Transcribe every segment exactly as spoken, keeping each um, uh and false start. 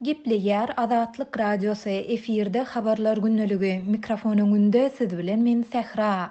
Gepleýär Azatlyk Radiosy, efirde Habarlar gündeligi, mikrofon öňünde siz bilen men Sähra.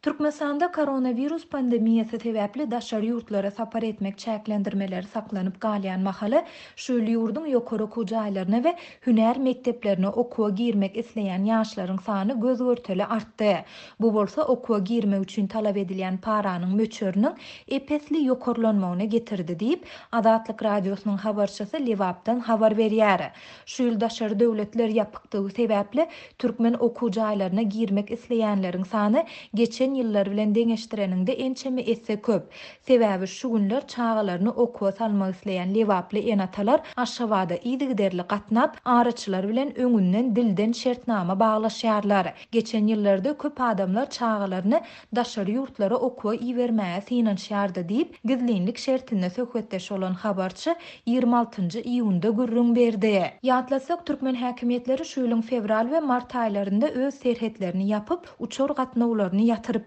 Türkmenistanda koronawirus pandemiýasy sebäpli daşary ýurtlara sapar etmek çäklendirmeleri saklanyp galýan mahaly, şu ýyl ýurduň ýokary okuw jaýlaryna we hünär mekdeplerine okuwa girmek isleýän ýaşlaryň sany göz-görtele artdy. Bu bolsa okuwa girmek üçin talap edilýän paranyň möçberiniň ep-esli ýokarlanmagyna getirdi diýip, Azatlyk Radiosynyň habarçysy Lebapdan habar berýär. Şu ýyl daşary döwletler ýapykdygy sebäpli türkmen okuw jaýlaryna girmek isleýänleriň sany geçen ýyllar bilen deňeşdireniňde ençeme esse köp. Sebäbi şu günler çagalaryny okuwa salmak isleýän lebaply ene-atalar Aşgabada yzygiderli gatnap, araçylar bilen öňünden dilden şertnama baglaşýarlar. Geçen ýyllarda köp adamlar çagalaryny daşary ýurtlara okuwa ibermäge synanyşýardy diýip, gizlinlik şertinde söhbetdeş bolan habarçy ýigrimi altynjy iýunda gürrüň berdi. Ýatlasak, türkmen häkimiýetleri şu ýylyň fewral we mart aýlarynda öz serhetlerini ýapyp, uçar gatnawlaryny ýatyrypdy.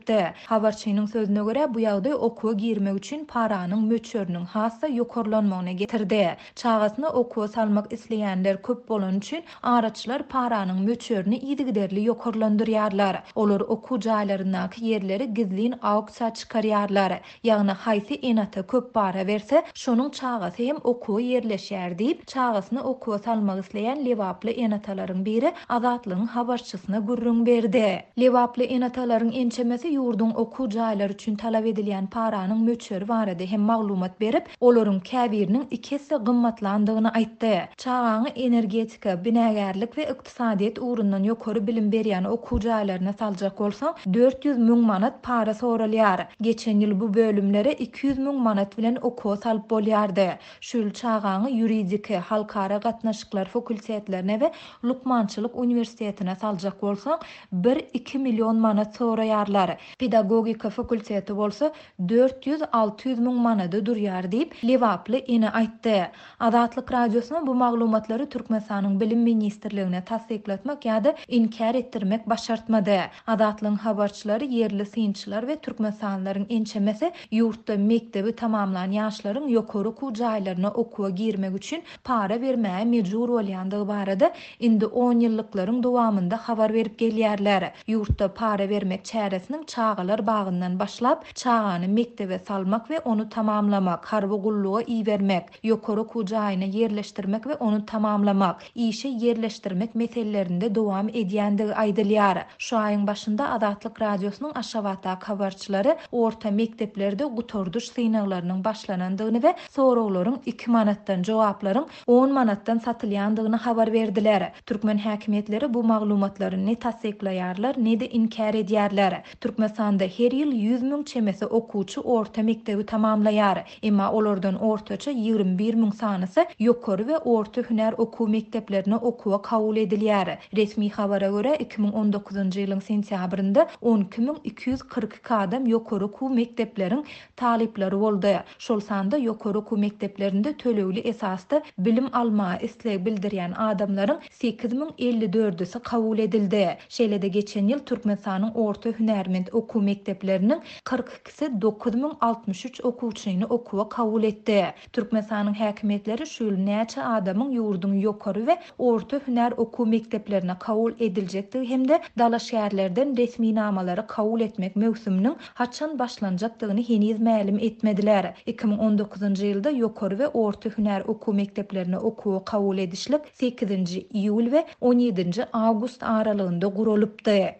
Habarçynyň sözüne görä, bu ýagdaý okuwa girmek üçin paranyň möçberiniň has-da ýokarlanmagyna getirdi. Çagasyny okuwa salmak isleýänler köp bolan üçin araçylar paranyň möçberini yzygiderli ýokarlandyrýarlar. Olar okuw jaýlaryndaky ýerleri gizlin auksiýa çykarýarlar. Ýagny haýsy ene-ata köp para berse, şonuň çagasy hem okuwa ýerleşýär diýip, çagasyny okuwa salmak isleýän lebaply ene-atalaryň biri Azatlygyň habarçysyna gürrüň berdi. Lebaply ene-atalaryň ençemesi ýurduň okuw jaýlary üçin talap edilýän paranyň möçberi barada hem maglumat berip, olaryň käbiriniň iki esse gymmatlandygyny aýtdy. Çagaňy energetika, binagärlik we ykdysadyýet ugrundan ýokary bilim berýän okuw jaýlaryna saljak bolsaň, dört ýüz müň manat para soralýar. Geçen ýyl bu bölümlere iki ýüz müň manat bilen okuwa salyp bolýardy. Şu ýyl çagaňy ýuridiki, halkara gatnaşyklar fakultetlerine we lukmançylyk uniwersitetine saljak bolsaň, bir-iki million manat soraýarlar. Pedagogika fakulteti bolsa dört ýüz alty ýüz müň manada durýar diýip, lebaply ene aýtdy. Azatlyk Radiosyna bu maglumatlary Türkmenistanyň Bilim Ministrligine tassyklatmak ýa-da inkär etdirmek başartmady. Azatlygyň habarçylary, ýerli synçylar we türkmenistanlylaryň ençemesi ýurtda mekdebi tamamlan ýaşlaryň ýokary okuw jaýlaryna okuwa girmek üçin para bermäge mejbur bolýandygy barada indi on ýyllyklaryň dowamynda habar berip gelýärler. Ýurtda para bermek çäresiniň çagalar bagyndan başlap, çagany mekdebe salmak we ony tamamlamak, harby gulluga ibermek, ýokary okuw jaýyna ýerleşdirmek we ony tamamlamak, işe ýerleşdirmek meselelerinde dowam edýändigi aýdylýar. Şu aýyň başynda Azatlyk Radiosynyň Aşgabatdaky habarçylary orta mekdeplerde gutardyş synaglarynyň başlanandygyny we soraglaryň iki manatdan, jogaplaryň on manatdan satylýandygyny habar berdiler. Türkmen häkimiýetleri bu maglumatlary ne tassyklaýarlar, ne-de inkär edýärler. Türkmenistanda her ýyl ýüz müň çemesi okuwçy orta mekdebi tamamlaýar. Emma olardan ortaça ýigrimi bir müň sanysy ýokary we orta hünär okuw mekdeplerine okuwa kabul edilýär. Resmi habara görä iki müň on dokuzynjy ýylyň sentýabrynda on iki müň iki ýüz kyrk iki adam ýokary okuw mekdepleriň talyplary boldy. Şol sanda ýokary okuw mekdeplerinde tölegli esasda bilim almaga isleg bildirýän adamlaryň sekiz müň elli dördüsi kabul edildi. Şeýle-de geçen ýyl Türkmenistanyň orta hünärment okuw mekdepleriniň kyrk ikisi dokuz müň altmyş üç okuwçyny okuwa kabul etdi. Türkmenistanyň häkimiýetleri şu ýyl näçe adamyň ýurduň ýokary we orta hünär okuw mekdeplerine kabul ediljekdigi hem-de dalaşgärlerden resminamalary kabul etmek möwsüminiň haçan başlanjakdygyny heniz mälim etmediler. iki müň on dokuzynjy ýylda ýokary we orta hünär okuw mekdeplerine okuwa kabul edişlik sekizinji iýul we on ýedinji awgust aralygynda guralypdy.